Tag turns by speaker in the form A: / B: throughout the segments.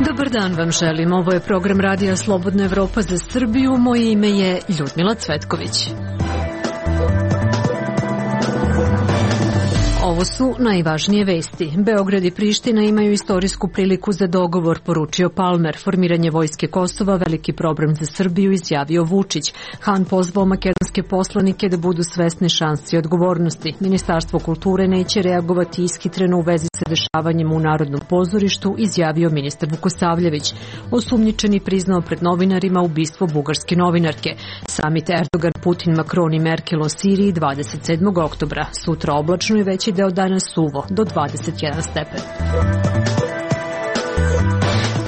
A: Dobar dan vam želim. Ovo je program Radija Slobodna Evropa za Srbiju. Moje ime je Ljudmila Cvetković. Ovo su najvažnije vesti. Beograd i Priština imaju istorijsku priliku za dogovor, poručio Palmer. Formiranje vojske Kosova, veliki problem za Srbiju, izjavio Vučić. Han pozvao makedonske poslanike da budu svesni šansi i odgovornosti. Ministarstvo kulture neće reagovati ishitreno u vezi sa dešavanjem u Narodnom pozorištu, izjavio ministar Vukosavljević. Osumnjičeni priznao pred novinarima ubistvo bugarske novinarke. Samit Erdogan, Putin, Macron i Merkel o Siriji 27. oktobra. Sutra oblačno i veći deo dana suvo do 21 stepen.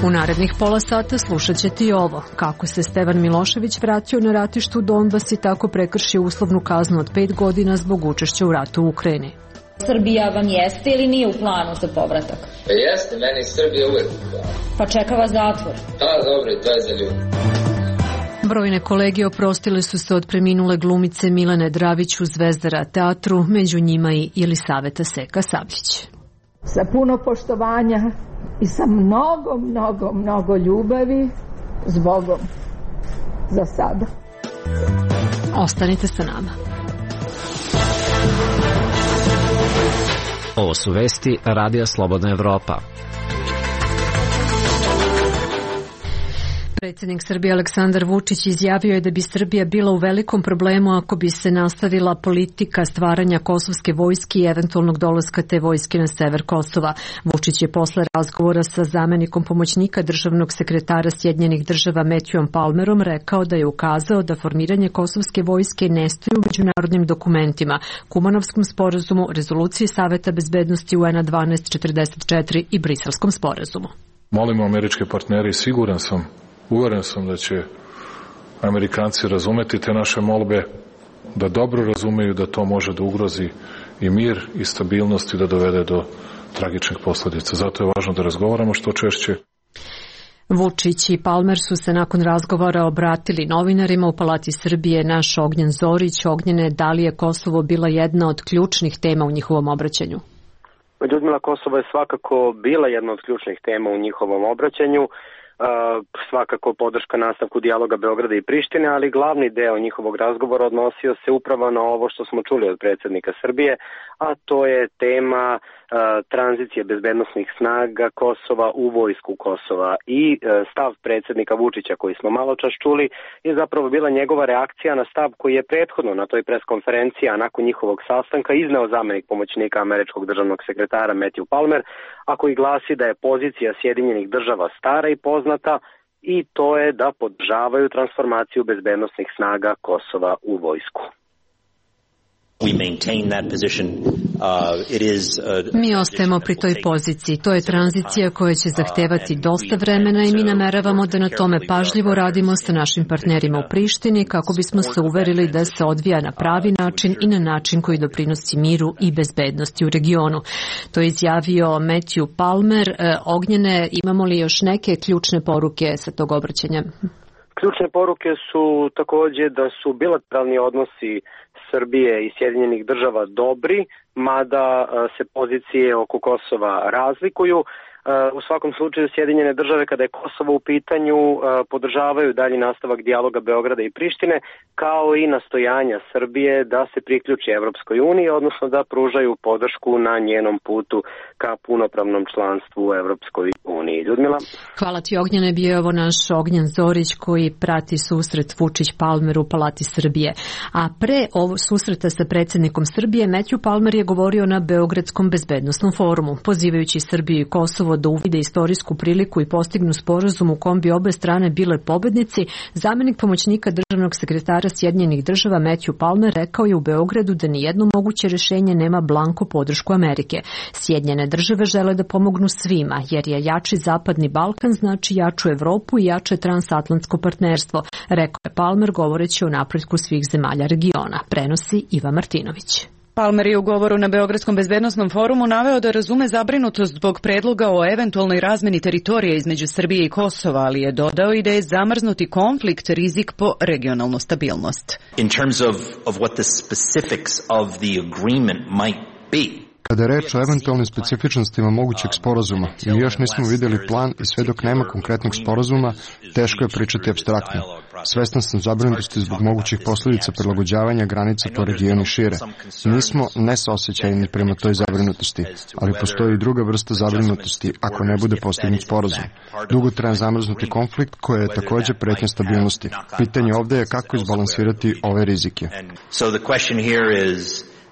A: U narednih pola sata slušat ćete i ovo. Kako se Stevan Milošević vratio na ratištu Donbas i tako prekršio uslovnu kaznu od 5 godina zbog učešća u ratu u Ukrajini.
B: Srbija vam jeste ili nije u planu za povratak?
C: Pa jeste, meni Srbija uvek u planu.
B: Pa čeka vas zatvor.
C: Da, dobro, to je za ljudi.
A: Brojne kolege oprostile su se od preminule glumice Milene Dravić u Zvezdara teatru, među njima i Jelisaveta Seka Sabljić.
D: Sa puno poštovanja i sa mnogo ljubavi s Bogom za sada.
A: Ostanite sa nama.
E: Ovo su vesti Radija Slobodna Evropa.
A: Predsjednik Srbije Aleksandar Vučić izjavio je da bi Srbija bila u velikom problemu ako bi se nastavila politika stvaranja kosovske vojske i eventualnog dolaska te vojske na sever Kosova. Vučić je posle razgovora sa zamenikom pomoćnika državnog sekretara Sjedinjenih država Matthewom Palmerom rekao da je ukazao da formiranje kosovske vojske ne stoji u međunarodnim dokumentima, Kumanovskom sporazumu, rezoluciji Saveta bezbednosti UN-a 1244 i Briselskom sporazumu.
F: Molimo američke partnere i uveren sam da će Amerikanci razumeti te naše molbe, da dobro razumeju da to može da ugrozi i mir i stabilnost i da dovede do tragičnih posledica. Zato je važno da razgovaramo što češće.
A: Vučić i Palmer su se nakon razgovora obratili novinarima u Palati Srbije. Naš Ognjen Zorić. Ognjene, da li je Kosovo bila jedna od ključnih tema u njihovom obraćanju?
G: Ljudmila, Kosovo je svakako bila jedna od ključnih tema u njihovom obraćanju. Svakako podrška nastavku dijaloga Beograda i Prištine, ali glavni deo njihovog razgovora odnosio se upravo na ovo što smo čuli od predsjednika Srbije, a to je tema tranzicije bezbednosnih snaga Kosova u vojsku Kosova i stav predsjednika Vučića koji smo malo čas čuli je zapravo bila njegova reakcija na stav koji je prethodno na toj preskonferenciji, a nakon njihovog sastanka izneo zamenik pomoćnika američkog državnog sekretara Matthew Palmer, a koji glasi da je pozicija Sjedinjenih država stara i poznata i to je da podržavaju transformaciju bezbednosnih snaga Kosova u vojsku.
A: Mi ostajemo pri toj poziciji. To je tranzicija koja će zahtevati dosta vremena i mi nameravamo da na tome pažljivo radimo sa našim partnerima u Prištini kako bismo se uverili da se odvija na pravi način i na način koji doprinosi miru i bezbednosti u regionu. To je izjavio Matthew Palmer. Ognjene, imamo li još neke ključne poruke sa tog obraćanja?
G: Ključne poruke su također da su bilateralni odnosi Srbije i Sjedinjenih država dobri, mada se pozicije oko Kosova razlikuju. U svakom slučaju Sjedinjene države kada je Kosovo u pitanju podržavaju dalji nastavak dijaloga Beograda i Prištine kao i nastojanja Srbije da se priključi Evropskoj uniji, odnosno da pružaju podršku na njenom putu ka punopravnom članstvu u Evropskoj uniji. Ljudmila?
A: Hvala ti Ognjene, bio je ovo naš Ognjen Zorić koji prati susret Vučić-Palmer u Palati Srbije. A pre ovo susreta sa predsjednikom Srbije Matthew Palmer je govorio na Beogradskom bezbednosnom forumu, pozivajući Srbiju i Kosovo da uvide istorijsku priliku i postignu sporazum u kom bi obe strane bile pobednici. Zamenik pomoćnika državnog sekretara Sjedinjenih država Matthew Palmer rekao je u Beogradu da nijedno moguće rješenje nema blanko podršku Amerike. Sjedinjene države žele da pomognu svima, jer je jači zapadni Balkan znači jaču Evropu i jače transatlantsko partnerstvo, rekao je Palmer govoreći o napretku svih zemalja regiona. Prenosi Iva Martinović.
H: Palmer je u govoru na Beogradskom bezbednosnom forumu naveo da razume zabrinutost zbog predloga o eventualnoj razmeni teritorija između Srbije i Kosova, ali je dodao i da je zamrznuti konflikt rizik po regionalnu stabilnost.
I: In terms of what the specifics of the agreement might be.
J: Kada je reč o eventualnim specifičnostima mogućeg sporazuma, mi još nismo vidjeli plan i sve dok nema konkretnog sporazuma, teško je pričati apstraktno. Svestan sam zabrinutosti zbog mogućih posljedica prilagođavanja granica po regionu šire. Nismo nesaosećajni prema toj zabrinutosti, ali postoji i druga vrsta zabrinutosti ako ne bude postignut sporazum. Dugotrajan zamrznuti konflikt koji je također pretnja stabilnosti. Pitanje ovdje je kako izbalansirati ove rizike.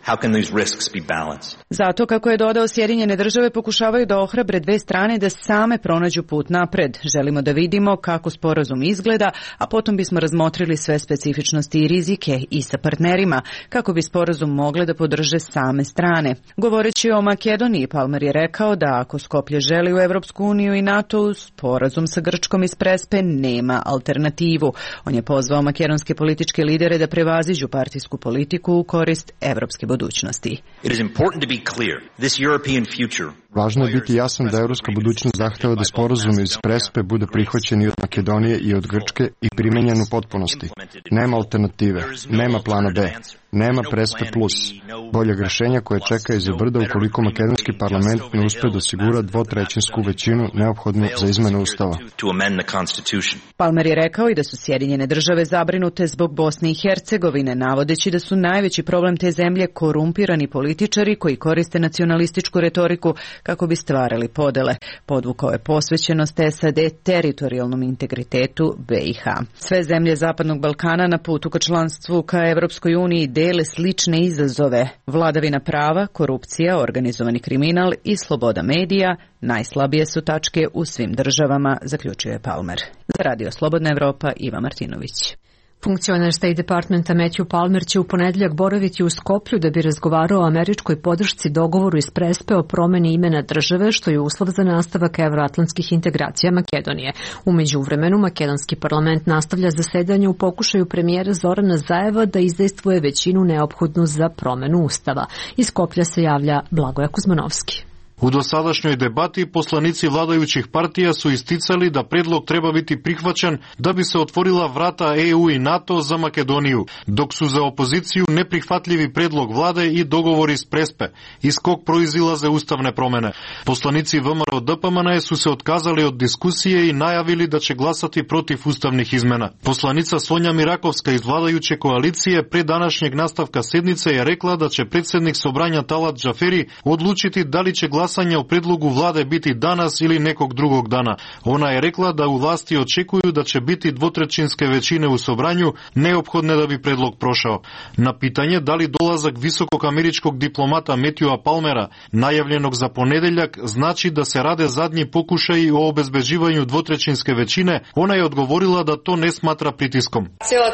I: How can these risks be balanced?
H: Zato, kako je dodao, Sjedinjene države pokušavaju da ohrabre dve strane da same pronađu put napred. Želimo da vidimo kako sporazum izgleda, a potom bismo razmotrili sve specifičnosti i rizike i sa partnerima, kako bi sporazum mogle da podrže same strane. Govoreći o Makedoniji, Palmer je rekao da ako Skoplje želi u Evropsku uniju i NATO, sporazum sa Grčkom iz Prespe nema alternativu. On je pozvao makedonske političke lidere da prevaziđu partijsku politiku u korist evropske budućnosti.
J: Važno je biti jasan da evropska budućnost zahteva da sporazum iz Prespe bude prihvaćen i od Makedonije i od Grčke i primenjen u potpunosti. Nema alternative, nema plana B, nema Prespe plus, boljeg rješenja koje čeka iza brda ukoliko makedonski parlament ne uspe da osigura dvotrećinsku većinu neophodnu za izmenu ustava.
H: Palmer je rekao i da su Sjedinjene države zabrinute zbog Bosne i Hercegovine, navodeći da su najveći problem te zemlje korumpirani političari koji koriste nacionalističku retoriku kako bi stvarali podele. Podvukao je posvećenost SAD teritorijalnom integritetu BiH. Sve zemlje Zapadnog Balkana na putu ka članstvu ka Evropskoj uniji dele slične izazove. Vladavina prava, korupcija, organizovani kriminal i sloboda medija najslabije su tačke u svim državama, zaključio je Palmer. Za Radio Slobodna Evropa, Iva Martinović.
A: Funkcioner State Departmenta Matthew Palmer će u ponedjeljak boraviti u Skoplju da bi razgovarao o američkoj podršci dogovoru iz Prespe o promeni imena države, što je uslov za nastavak evroatlantskih integracija Makedonije. U međuvremenu, makedonski parlament nastavlja zasedanje u pokušaju premijera Zorana Zajeva da izdejstvuje većinu neophodnu za promenu ustava. Iz Skoplja se javlja Blagoja Kuzmanovski.
K: U dosadašnjoj debati poslanici vladajućih partija su isticali da predlog treba biti prihvaćen da bi se otvorila vrata EU i NATO za Makedoniju, dok su za opoziciju neprihvatljivi predlog vlade i dogovor iz Prespe, iz kog proizilaze ustavne promene. Poslanici VMRO DPMNE su se otkazali od diskusije i najavili da će glasati protiv ustavnih izmena. Poslanica Sonja Mirakovska iz vladajuće koalicije pre današnjeg nastavka sednice je rekla da će predsjednik Sobranja Talat Džaferi odlučiti da li će glasanje o predlogu vlade biti danas ili nekog drugog dana. Ona je rekla da u vlasti očekuju da će biti dvotrećinske većine u Sobranju neophodne da bi predlog prošao. Na pitanje da li dolazak visokog američkog diplomata Matthewa Palmera, najavljenog za ponedeljak, znači da se rade zadnji pokušaji o obezbeđivanju dvotrećinske većine, ona je odgovorila da to ne smatra pritiskom. Cijela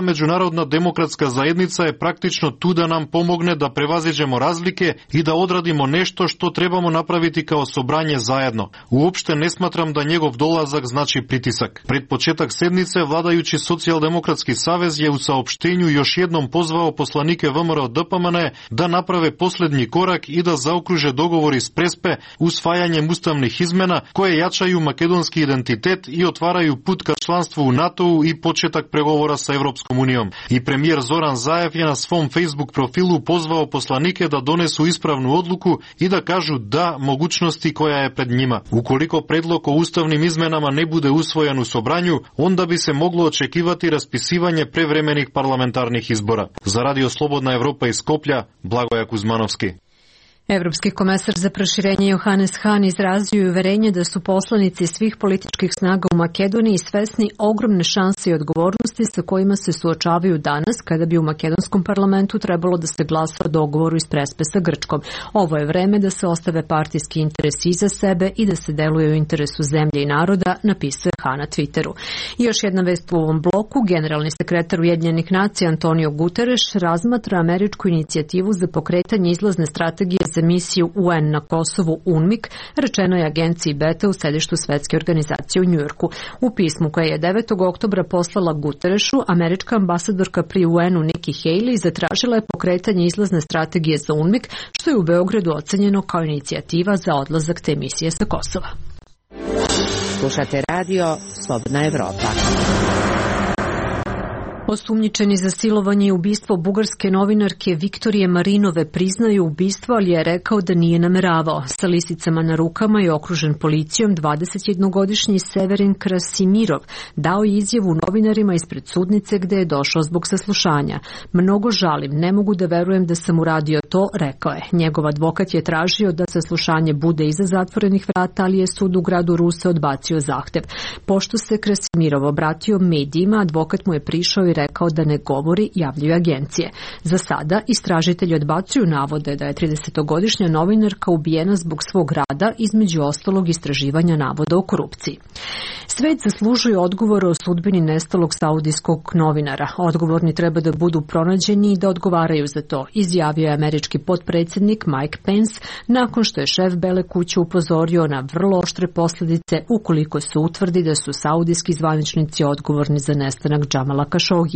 K: međunarodna demokratska zajednica je praktično tu da nam pomogne da prevaziđemo razlike i da odradimo nešto što trebamo napraviti kao Sobranje zajedno. Uopšte ne smatram da njegov dolazak znači pritisak. Pred početak sednice vladajući Socijaldemokratski savez je u saopštenju još jednom pozvao poslanike VMRO DPMNE da naprave posljednji korak i da zaokruže dogovor iz Prespe usvajanjem ustavnih izmena koje jačaju makedonski identitet i otvaraju put ka članstvu u NATO-u i početak pregovora sa Evropskom unijom. I premijer Zoran Zaev je na svom Facebook profilu pozvao poslanike da donesu ispravnu odluku i da kažu da mogućnosti koja je pred njima. Ukoliko predlog o ustavnim izmenama ne bude usvojen u Sobranju, onda bi se moglo očekivati raspisivanje prevremenih parlamentarnih izbora. Za Radio Slobodna Evropa iz Skoplja, Blagoja Kuzmanovski.
A: Evropski komesar za proširenje Johannes Hahn izrazio je uverenje da su poslanici svih političkih snaga u Makedoniji svesni ogromne šanse i odgovornosti sa kojima se suočavaju danas kada bi u makedonskom parlamentu trebalo da se glasa o dogovoru iz Prespe sa Grčkom. Ovo je vreme da se ostave partijski interesi iza sebe i da se deluje u interesu zemlje i naroda, napisao je Hahn na Twitteru. I još jedna vest u ovom bloku, generalni sekretar Ujedinjenih nacija Antonio Guterres razmatra američku inicijativu za pokretanje izlazne strategije za misiju UN na Kosovu UNMIK, rečeno je agenciji Beta u sedištu Svetske organizacije u Njujorku. U pismu koje je 9. oktobra poslala Guterešu, američka ambasadorka pri UN-u Nikki Haley zatražila je pokretanje izlazne strategije za UNMIK, što je u Beogradu ocenjeno kao inicijativa za odlazak te misije sa Kosova.
L: Slušate radio Slobodna Evropa.
A: Osumnjičeni za silovanje i ubistvo bugarske novinarke Viktorije Marinove priznaju ubistvo, ali je rekao da nije nameravao. Sa lisicama na rukama i okružen policijom 21-godišnji Severin Krasimirov dao je izjavu novinarima ispred sudnice gde je došao zbog saslušanja. Mnogo žalim, ne mogu da verujem da sam uradio to, rekao je. Njegov advokat je tražio da saslušanje bude iza zatvorenih vrata, ali je sud u gradu Ruse odbacio zahtev. Pošto se Krasimirov obratio medijima, advokat mu je prišao i rekao da ne govori, javljaju agencije. Za sada istražitelji odbacuju navode da je 30-godišnja novinarka ubijena zbog svog rada, između ostalog istraživanja navoda o korupciji. Svet zaslužuje odgovore o sudbini nestalog saudijskog novinara. Odgovorni treba da budu pronađeni i da odgovaraju za to, izjavio je američki potpredsjednik Mike Pence nakon što je šef Bele kuće upozorio na vrlo oštre posljedice ukoliko se utvrdi da su saudijski zvaničnici odgovorni za nestanak Džamala Kašogija.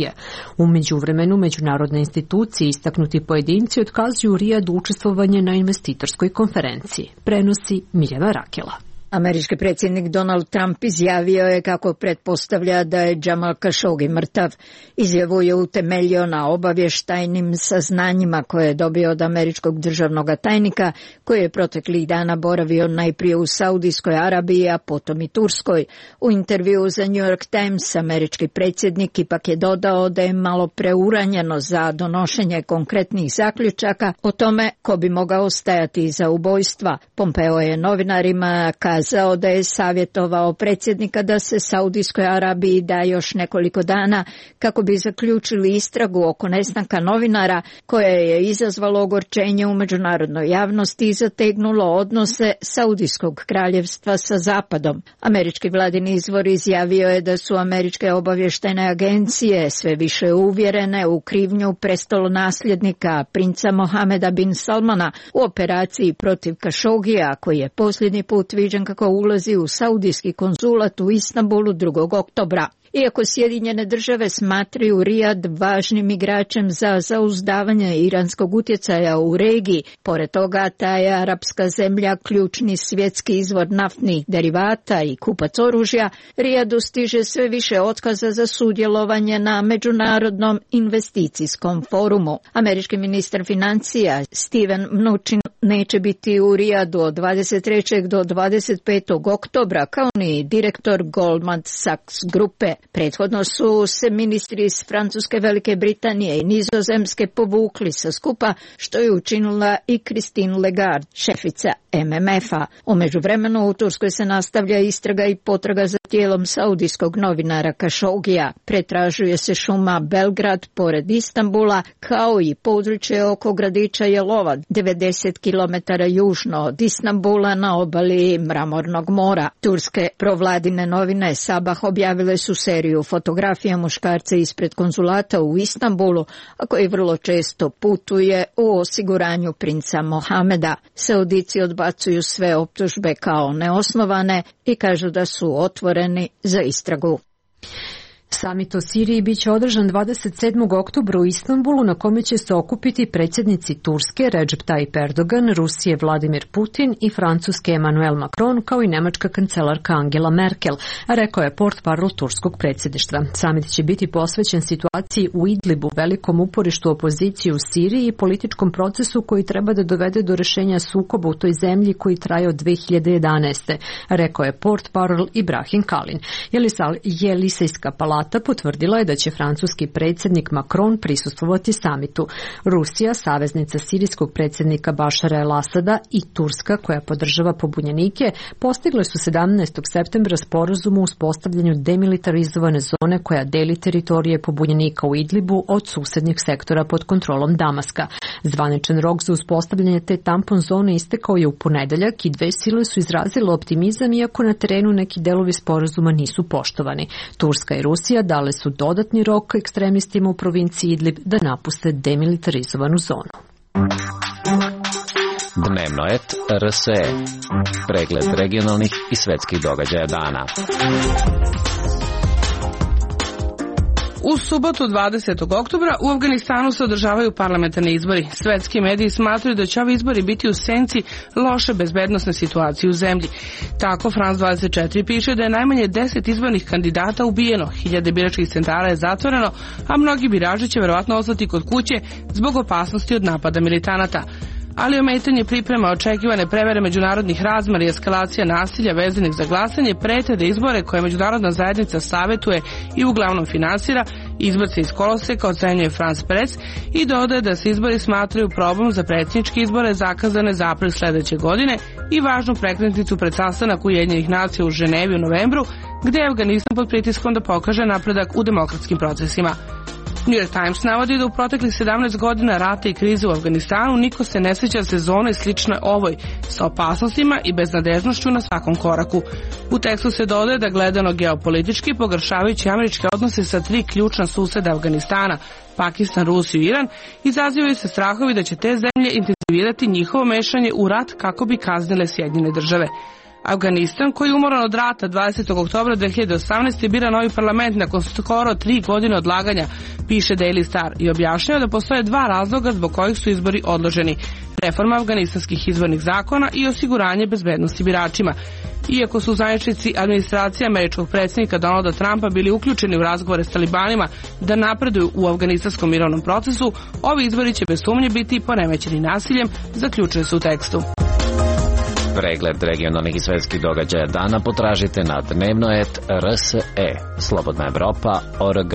A: U međuvremenu međunarodne institucije istaknuti pojedinci otkazuju Rijadu učestvovanje na investitorskoj konferenciji. Prenosi Mirjana Rakela.
M: Američki predsjednik Donald Trump izjavio je kako pretpostavlja da je Džamal Kašogi mrtav. Izjavu je utemeljio na obavještajnim saznanjima koje je dobio od američkog državnog tajnika, koji je proteklih dana boravio najprije u Saudijskoj Arabiji, a potom i Turskoj. U intervjuu za New York Times američki predsjednik ipak je dodao da je malo preuranjeno za donošenje konkretnih zaključaka o tome ko bi mogao stajati iza ubojstva. Pompeo je novinarima kazao da je savjetovao predsjednika da se Saudijskoj Arabiji da još nekoliko dana kako bi zaključili istragu oko nestanka novinara, koje je izazvalo ogorčenje u međunarodnoj javnosti i zategnulo odnose Saudijskog kraljevstva sa Zapadom. Američki vladini izvor izjavio je da su američke obavještajne agencije sve više uvjerene u krivnju prestolonasljednika princa Mohameda bin Salmana u operaciji protiv Kašogija, koji je posljednji put viđen kako ulazi u saudijski konzulat u Istanbulu 2. oktobra. Iako Sjedinjene države smatraju Rijad važnim igračem za zauzdavanje iranskog utjecaja u regiji, pored toga ta je arapska zemlja ključni svjetski izvor naftnih derivata i kupac oružja, Rijadu stiže sve više otkaza za sudjelovanje na Međunarodnom investicijskom forumu. Američki ministar financija Steven Mnuchin neće biti u Rijadu od 23. do 25. oktobra, kao ni direktor Goldman Sachs grupe. Prethodno su se ministri iz Francuske, Velike Britanije i Nizozemske povukli sa skupa, što je učinila i Christine Lagarde, šefica MMF-a. U međuvremenu u Turskoj se nastavlja istraga i potraga za tijelom saudijskog novinara Kašogija. Pretražuje se šuma Belgrad pored Istanbula, kao i područje oko gradića Jelova, 90 km južno od Istanbula na obali Mramornog mora. Turske provladine novine Sabah objavile su seriju fotografija muškarca ispred konzulata u Istanbulu, a koji vrlo često putuje u osiguranju princa Mohameda. Saudici odbacuju sve optužbe kao neosnovane i kažu da su otvoreni za istragu.
A: Samit o Siriji biće održan 27. oktobra u Istanbulu, na kome će se okupiti predsjednici Turske Recep Tayyip Erdogan, Rusije Vladimir Putin i Francuske Emmanuel Macron, kao i nemačka kancelarka Angela Merkel, rekao je portparol turskog predsjedništva. Samit će biti posvećen situaciji u Idlibu, velikom uporištu opozicije u Siriji i političkom procesu koji treba da dovede do rešenja sukoba u toj zemlji koji traje od 2011. rekao je portparol Ibrahim Kalin. Jelisejska palata potvrdila je da će francuski predsjednik Macron prisustvovati samitu. Rusija, saveznica sirijskog predsjednika Bašara el-Asada, i Turska, koja podržava pobunjenike, postigle su 17. septembra sporazum o uspostavljanju demilitarizovane zone koja deli teritorije pobunjenika u Idlibu od susednjeg sektora pod kontrolom Damaska. Zvaničan rok za uspostavljanje te tampon zone istekao je u ponedeljak i dve sile su izrazile optimizam, iako na terenu neki delovi sporazuma nisu poštovani. Turska i Rusija dale su dodatni rok ekstremistima u provinciji Idlib da napuste demilitarizovanu zonu.
E: Dnevnoet RSE. Pregled regionalnih i svetskih događaja dana.
N: U subotu 20. oktobra u Afganistanu se održavaju parlamentarni izbori. Svetski mediji smatraju da će ovi izbori biti u senci loše bezbednosne situacije u zemlji. Tako France 24 piše da je najmanje 10 izbornih kandidata ubijeno, 1000 biračkih centara je zatvoreno, a mnogi birači će verovatno ostati kod kuće zbog opasnosti od napada militanata. Ali ometanje priprema, očekivane prevare međunarodnih razmera i eskalacija nasilja vezanih za glasanje prete da izbore koje međunarodna zajednica savetuje i uglavnom finansira izbace iz koloseka, ocenjuje France Press i dodaje da se izbori smatraju probom za predsjedničke izbore zakazane za april sledeće godine i važnu prekretnicu pred sastanak Ujedinjenih nacija u Ženevi u novembru, gde je Afganistan pod pritiskom da pokaže napredak u demokratskim procesima. New York Times navodi da u proteklih 17 godina rata i krize u Afganistanu niko se ne sjeća sezone slične ovoj, sa opasnostima i beznadežnošću na svakom koraku. U tekstu se dodaje da gledano geopolitički, pogoršavajući američke odnose sa 3 ključna suseda Afganistana, Pakistan, Rusiju i Iran, izazivaju se strahovi da će te zemlje intenzivirati njihovo mešanje u rat kako bi kaznile Sjedinjene države. Afganistan, koji je umoran od rata 20. oktobra 2018. bira novi parlament nakon skoro 3 godine odlaganja, piše Daily Star i objašnjava da postoje 2 razloga zbog kojih su izbori odloženi: reforma afganistanskih izbornih zakona i osiguranje bezbednosti biračima. Iako su zvaničnici administracije američkog predsjednika Donalda Trumpa bili uključeni u razgovore s talibanima da napreduju u afganistanskom mirovnom procesu, ovi izbori će bez sumnje biti poremećeni nasiljem, zaključuje se u tekstu.
E: Pregled regionalnih i svetskih događaja dana potražite na Dnevnoet RSE, Slobodna Evropa.org.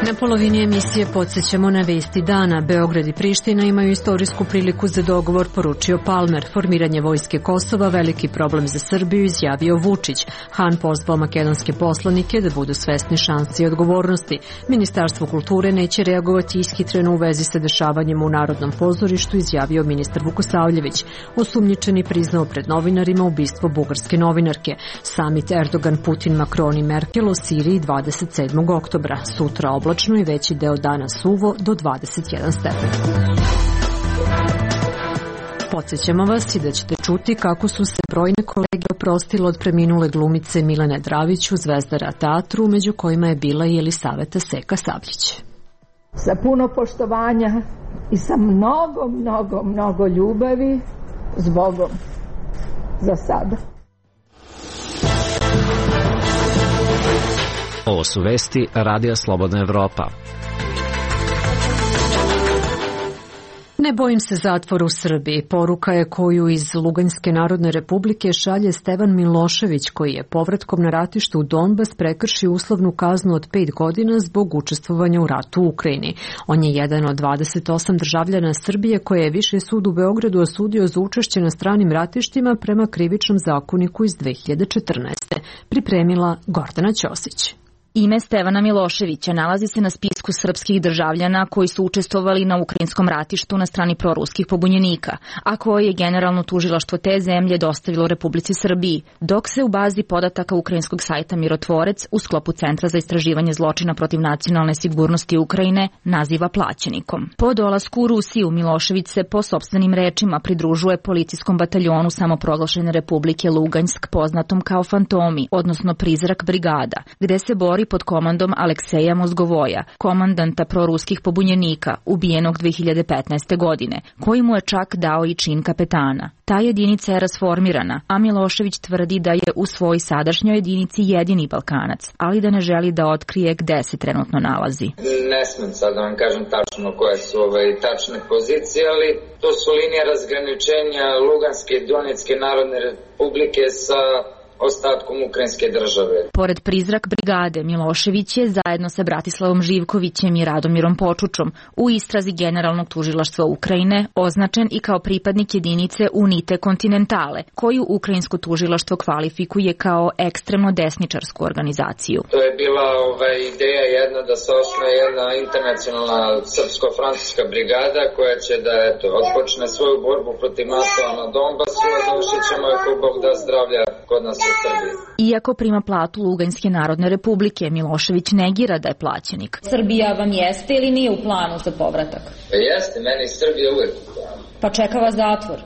A: Na polovini emisije podsjećamo na vesti dana. Beograd i Priština imaju istorijsku priliku za dogovor, poručio Palmer. Formiranje vojske Kosova veliki problem za Srbiju, izjavio Vučić. Han pozvao makedonske poslanike da budu svesni šansi i odgovornosti. Ministarstvo kulture neće reagovati ishitreno u vezi sa dešavanjem u Narodnom pozorištu, izjavio ministar Vukosavljević. Osumnjičeni priznao pred novinarima ubistvo bugarske novinarke. Samit Erdogan, Putin, Macron i Merkel o Siriji 27. oktobra. Sutra oblačno i veći deo dana suvo do 21 stepen. Podsjećamo vas i da ćete čuti kako su se brojne kolege oprostile od preminule glumice Milene Dravić u Zvezdara teatru, među kojima je bila i Jelisaveta Seka Sabljić.
D: Sa puno poštovanja i sa mnogo ljubavi, s Bogom. Za sada.
E: Ovo su vesti Radija Slobodna Evropa.
A: Ne bojim se zatvora u Srbiji. Poruka je koju iz Luganjske narodne republike šalje Stevan Milošević, koji je povratkom na ratište u Donbas prekršio uslovnu kaznu od 5 godina zbog učestvovanja u ratu u Ukrajini. On je jedan od 28 državljana Srbije koje je Viši sud u Beogradu osudio za učešće na stranim ratištima prema krivičnom zakoniku iz 2014. Pripremila Gordana Ćosić.
O: Ime Stevana Miloševića nalazi se na spisku srpskih državljana koji su učestvovali na ukrajinskom ratištu na strani proruskih pobunjenika, a koje je generalno tužilaštvo te zemlje dostavilo Republici Srbiji, dok se u bazi podataka ukrajinskog sajta Mirotvorec u sklopu Centra za istraživanje zločina protiv nacionalne sigurnosti Ukrajine naziva plaćenikom. Po dolasku u Rusiju Milošević se po sopstvenim rečima pridružuje policijskom bataljonu samoproglašene Republike Luganjsk, poznatom kao Fantomi, odnosno Prizrak brigada, gde se bori pod komandom Alekseja Mozgovoja, komandanta proruskih pobunjenika, ubijenog 2015. godine, koji mu je čak dao i čin kapetana. Ta jedinica je rasformirana, a Milošević tvrdi da je u svoj sadašnjoj jedinici jedini Balkanac, ali da ne želi da otkrije gde se trenutno nalazi.
C: Ne smem sad da vam kažem tačno koje su tačne pozicije, ali to su linije razgraničenja Luganske i Donetske narodne republike sa ostatkom ukrajinske države.
O: Pored Prizrak brigade, Milošević je zajedno sa Bratislavom Živkovićem i Radomirom Počučom u istrazi Generalnog tužilaštva Ukrajine označen i kao pripadnik jedinice Unite Kontinentale, koju ukrajinsko tužilaštvo kvalifikuje kao ekstremno desničarsku organizaciju.
C: To je bila ideja jedna da se osnuje jedna internacionalna srpsko-francuska brigada koja će da odpočne svoju borbu protiv NATO na Donbasu, a završit ćemo ako Bog da zdravlja kod nas u Srbije.
O: Iako prima platu Luganjske narodne republike, Milošević negira da je plaćenik.
B: Srbija vam jeste ili nije u planu za povratak?
C: Jeste, meni Srbija uvek u planu.
B: Pa čeka vas zatvor.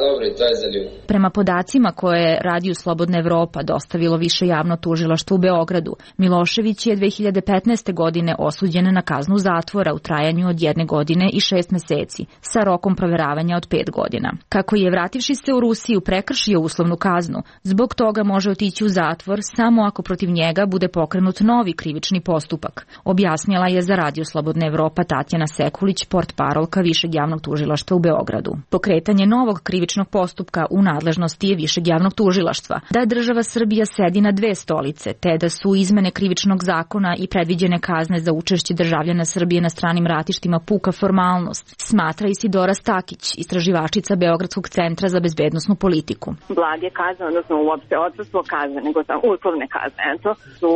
C: Dobro, to je za ljubav.
O: Prema podacima koje je Radio Slobodna Evropa dostavilo Više javno tužilaštvo u Beogradu, Milošević je 2015. godine osuđen na kaznu zatvora u trajanju od 1 godine i 6 meseci, sa rokom proveravanja od 5 godina. Kako je, vrativši se u Rusiju, prekršio uslovnu kaznu, zbog toga može otići u zatvor samo ako protiv njega bude pokrenut novi krivični postupak, objasnila je za Radio Slobodna Evropa Tatjana Sekulić, portparolka Višeg javnog tužilaštva u Beogradu. Pokretanje novog krivičnog postupka u nadležnosti je Višeg javnog tužilaštva, da država Srbija sedi na 2 stolice, te da su izmene krivičnog zakona i predviđene kazne za učešće državljana Srbije na stranim ratištima puka formalnost, smatra Isidora Stakić, istraživačica Beogradskog centra za bezbednosnu politiku.
P: Blage kazne, odnosno uopšte odsustvo kazne, nego samo uslovne kazne, su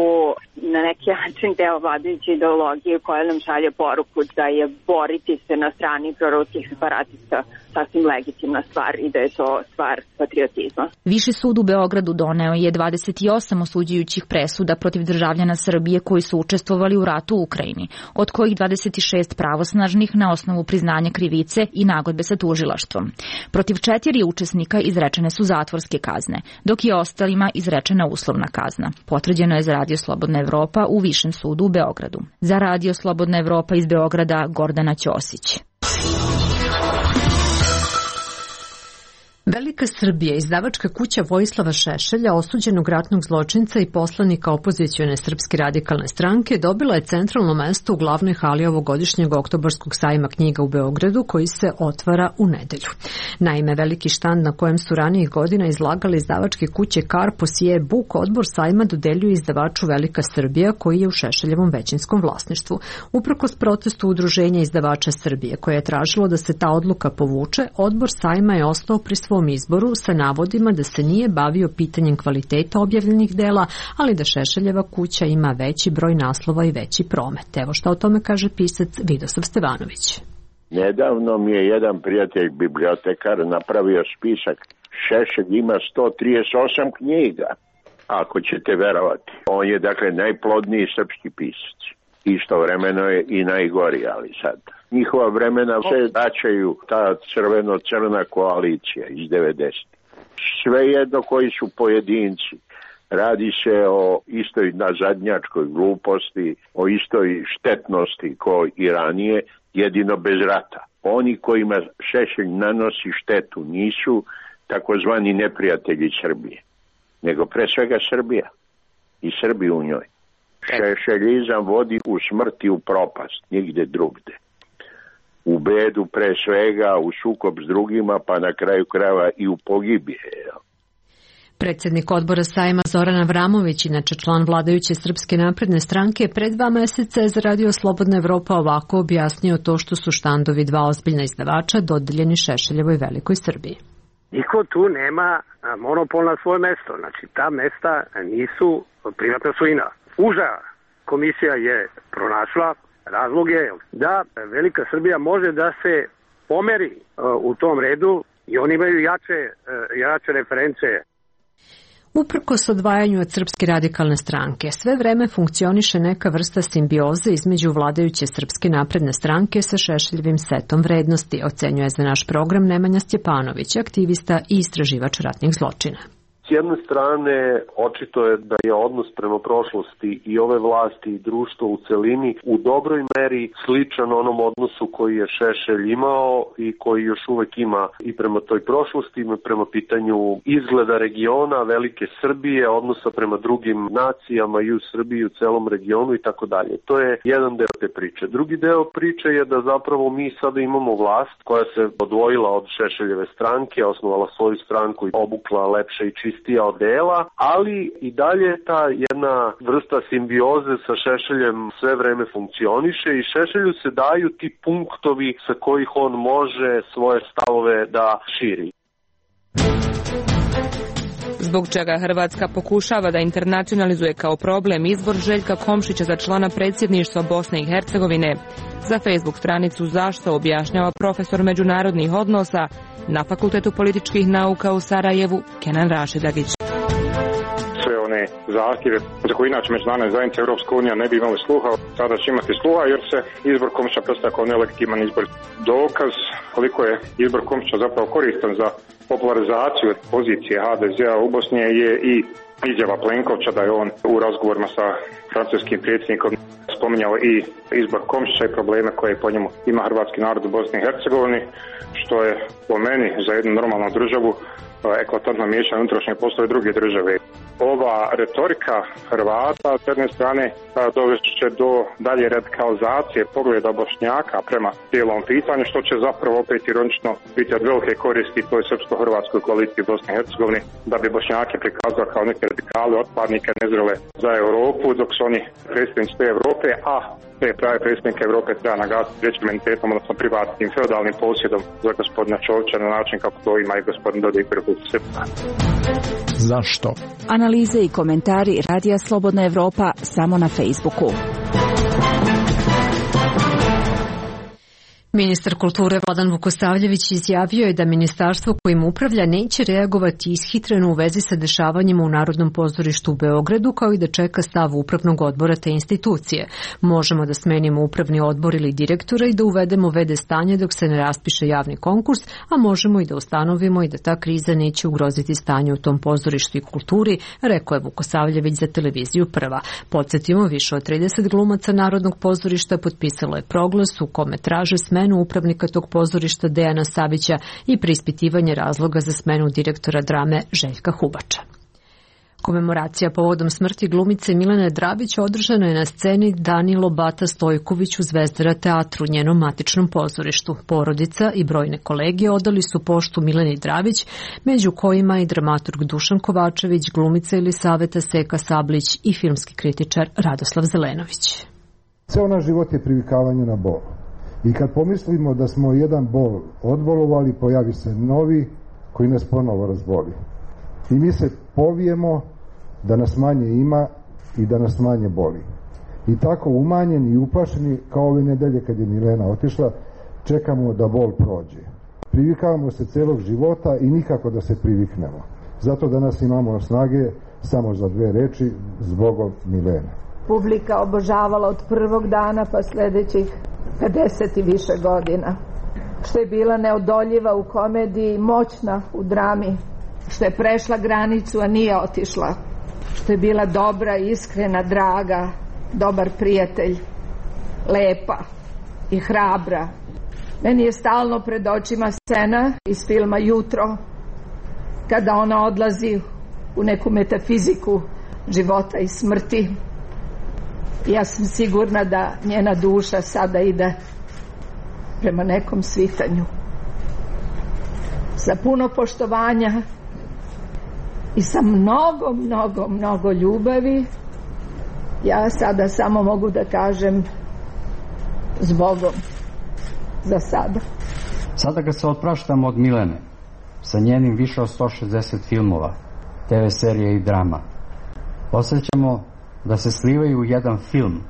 P: na neki način deo vladajuće ideologije koja nam šalje poruku da je boriti se na strani proruskih separatista sasvim legitimna stvar i da je to stvar patriotizma.
O: Viši sud u Beogradu doneo je 28 osuđujućih presuda protiv državljana Srbije koji su učestvovali u ratu u Ukrajini, od kojih 26 pravosnažnih na osnovu priznanja krivice i nagodbe sa tužilaštvom. Protiv 4 učesnika izrečene su zatvorske kazne, dok je ostalima izrečena uslovna kazna. Potvrđeno je za Radio Slobodna Evropa u Višem sudu u Beogradu. Za Radio Slobodna Evropa iz Beograda Gordana Ćosić.
A: Velika Srbija, izdavačka kuća Vojislava Šešelja, osuđenog ratnog zločinca i poslanika opozicione Srpske radikalne stranke, dobila je centralno mesto u glavnoj hali ovogodišnjeg oktobarskog sajma knjiga u Beogradu, koji se otvara u nedelju. Naime, veliki štand na kojem su ranijih godina izlagali izdavačke kuće Karpos i E-Book, odbor sajma dodeljuje izdavaču Velika Srbija, koji je u Šešeljevom većinskom vlasništvu. Uprkos protestu Udruženja izdavača Srbije, koje je tražilo da se ta odluka povuče, odbor sajma je ostao pri svom izboru sa navodima da se nije bavio pitanjem kvaliteta objavljenih dela, ali da Šešeljeva kuća ima veći broj naslova i veći promet. Evo šta o tome kaže pisac Vidosav Stevanović.
Q: Nedavno mi je jedan prijatelj bibliotekar napravio spisak. Šešelj ima 138 knjiga, ako ćete verovati. On je dakle najplodniji srpski pisac. Istovremeno je i najgori, ali sad. Njihova vremena se vraćaju ta crveno-crna koalicija iz 90. Svejedno koji su pojedinci. Radi se o istoj nazadnjačkoj gluposti, o istoj štetnosti kao i ranije, jedino bez rata. Oni kojima Šešelj nanosi štetu nisu takozvani neprijatelji Srbije, nego pre svega Srbija i Srbi u njoj. Šešeljizam vodi u smrt i u propast, nigde drugde. U bedu pre svega, u sukob s drugima, pa na kraju krajeva i u pogibije.
A: Predsjednik odbora sajma Zoran Avramović, inače član vladajuće Srpske napredne stranke, pred 2 meseca je za Radio Slobodna Evropa ovako objasnio to što su štandovi 2 ozbiljna izdavača dodeljeni Šešeljevoj Velikoj Srbiji.
R: Niko tu nema monopol na svoje mesto. Znači, ta mesta nisu privatna svojina. Uža komisija je pronašla razloge da Velika Srbija može da se pomeri u tom redu i oni imaju jače reference.
A: Uprkos odvajanju od Srpske radikalne stranke, sve vreme funkcioniše neka vrsta simbioze između vladajuće Srpske napredne stranke sa Šešeljevim setom vrednosti, ocenjuje za naš program Nemanja Stjepanović, aktivista i istraživač ratnih zločina.
S: S jedne strane, očito je da je odnos prema prošlosti i ove vlasti i društvo u celini u dobroj meri sličan onom odnosu koji je Šešelj imao i koji još uvek ima i prema toj prošlosti, prema pitanju izgleda regiona, Velike Srbije, odnosa prema drugim nacijama i u Srbiji, u celom regionu i tako dalje. To je jedan deo te priče. Drugi deo priče je da zapravo mi sada imamo vlast koja se odvojila od Šešeljeve stranke, osnovala svoju stranku i obukla lepše i čistije odela, ali i dalje ta jedna vrsta simbioze sa Šešeljem sve vreme funkcioniše i Šešelju se daju ti punktovi sa kojih on može svoje stavove da širi.
T: Zbog čega Hrvatska pokušava da internacionalizuje kao problem izbor Željka Komšića za člana predsjedništva Bosne i Hercegovine, za Facebook stranicu Zašto objašnjava profesor međunarodnih odnosa na Fakultetu političkih nauka u Sarajevu Kenan Rašidagić.
U: zahtjeve za koje inače međunarodne zajednice Europska unija ne bi imali sluha, sada će imati sluha jer se izbor Komšića predstavlja kao nelegitiman izbor. Dokaz koliko je izbor Komšića zapravo koristan za popularizaciju pozicije HDZ-a u Bosni je i izjava Plenkovića da je on u razgovorima sa francuskim predsjednikom spominjao i izbor Komšića i probleme koje po njemu ima hrvatski narod u Bosni i Hercegovini, što je po meni za jednu normalnu državu eklatantno miješanje unutrašnje poslove druge države. Ova retorika Hrvata s jedne strane dovesti će do dalje radikalizacije pogleda Bošnjaka prema cijelom pitanju, što će zapravo opet ironično biti od velike koristi toj srpsko-hrvatskoj koaliciji Bosne i Hercegovine, da bi Bošnjake prikazali kao neke radikale, otpadnike, nezrele za Europu, dok su oni predstavnici te Europe, a te prave predstavnike Europe treba nagasiti trećim mentalitetom, odnosno privatnim feudalnim posjedom za gospodina Čovića na način kako to ima i gospodin Dodik u Republici Srpskoj.
V: Zašto?
W: Analize i komentari Radija Slobodna Evropa samo na Facebooku.
A: Ministar kulture Vladan Vukosavljević izjavio je da ministarstvo kojim upravlja neće reagovati ishitreno u vezi sa dešavanjima u Narodnom pozorištu u Beogradu, kao i da čeka stav upravnog odbora te institucije. Možemo da smenimo upravni odbor ili direktora i da uvedemo v.d. stanje dok se ne raspiše javni konkurs, a možemo i da ustanovimo i da ta kriza neće ugroziti stanje u tom pozorištu i kulturi, rekao je Vukosavljević za televiziju Prva. Podsjetimo, više od 30 glumaca Narodnog pozorišta potpisalo je proglas u kome traže smenu upravnika tog pozorišta Dejana Savića i preispitivanje razloga za smenu direktora drame Željka Hubača. Komemoracija povodom smrti glumice Milene Drabić održana je na sceni Danilo Bata Stojković u Zvezdara teatru, njenom matičnom pozorištu. Porodica i brojne kolege odali su poštu Mileni Drabić, među kojima i dramaturg Dušan Kovačević, glumica Jelisaveta Seka Sablić i filmski kritičar Radoslav Zelenović.
X: Ceo naš život je privikavanje na bol. I kad pomislimo da smo jedan bol odbolovali, pojavi se novi koji nas ponovo razboli. I mi se povijemo da nas manje ima i da nas manje boli. I tako umanjeni i uplašeni, kao ove nedelje kad je Milena otišla, čekamo da bol prođe. Privikavamo se celog života i nikako da se priviknemo. Zato danas imamo snage samo za dve reči: zbogom Milene.
D: Publika obožavala od prvog dana pa sljedećih 50 i više godina. Što je bila neodoljiva u komediji, moćna u drami, što je prešla granicu, a nije otišla, što je bila dobra, iskrena, draga, dobar prijatelj, lepa i hrabra. Meni je stalno pred očima scena iz filma Jutro, kada ona odlazi u neku metafiziku života i smrti. Ja sam sigurna da njena duša sada ide prema nekom svitanju. Sa puno poštovanja i sa mnogo ljubavi, ja sada samo mogu da kažem zbogom za sada.
Y: Sada kad se otpraštamo od Milene, sa njenim više od 160 filmova, TV serije i drama, osjećamo da se slivaju u jedan film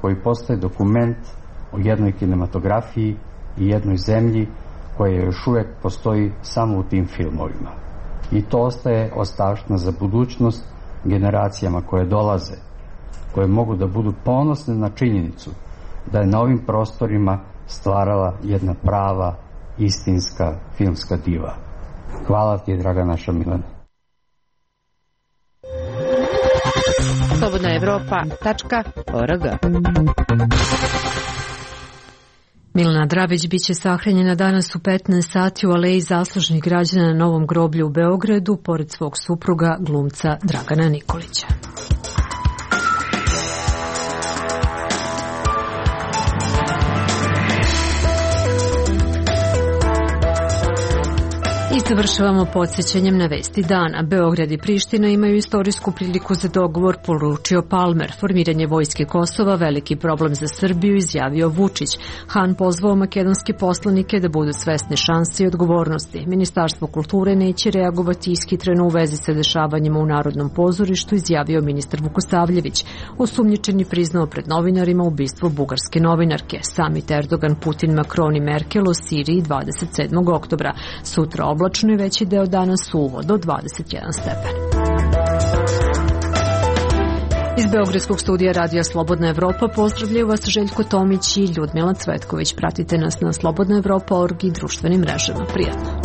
Y: koji postaje dokument o jednoj kinematografiji i jednoj zemlji koja još uvijek postoji samo u tim filmovima. I to ostaje ostavština za budućnost generacijama koje dolaze, koje mogu da budu ponosne na činjenicu da je na ovim prostorima stvarala jedna prava, istinska filmska diva. Hvala ti, draga naša Milena.
L: Slobodna Evropa.org.
A: Milena Drabić biće sahranjena danas u 15 sati u Aleji zaslužnih građana na Novom groblju u Beogradu, pored svog supruga, glumca Dragana Nikolića. I završavamo podsjećanjem na vesti dana. Beograd i Priština imaju istorijsku priliku za dogovor, poručio Palmer. Formiranje vojske Kosova veliki problem za Srbiju, izjavio Vučić. Han pozvao makedonske poslanike da budu svesni šanse i odgovornosti. Ministarstvo kulture neće reagovati ishitreno u vezi sa dešavanjima u Narodnom pozorištu, izjavio ministar Vukosavljević. Osumnjičeni priznao pred novinarima ubistvo bugarske novinarke. Samit Erdogan, Putin, Macron i Merkel o Siriji 27. oktobra. Sutra oblačno i veći deo dana suvo do 21 stepen. Iz Beogradskog studija Radija Slobodna Evropa pozdravljaju vas Željko Tomić i Ljudmila Cvetković. Pratite nas na slobodnaevropa.org i društvenim mrežama. Prijatno.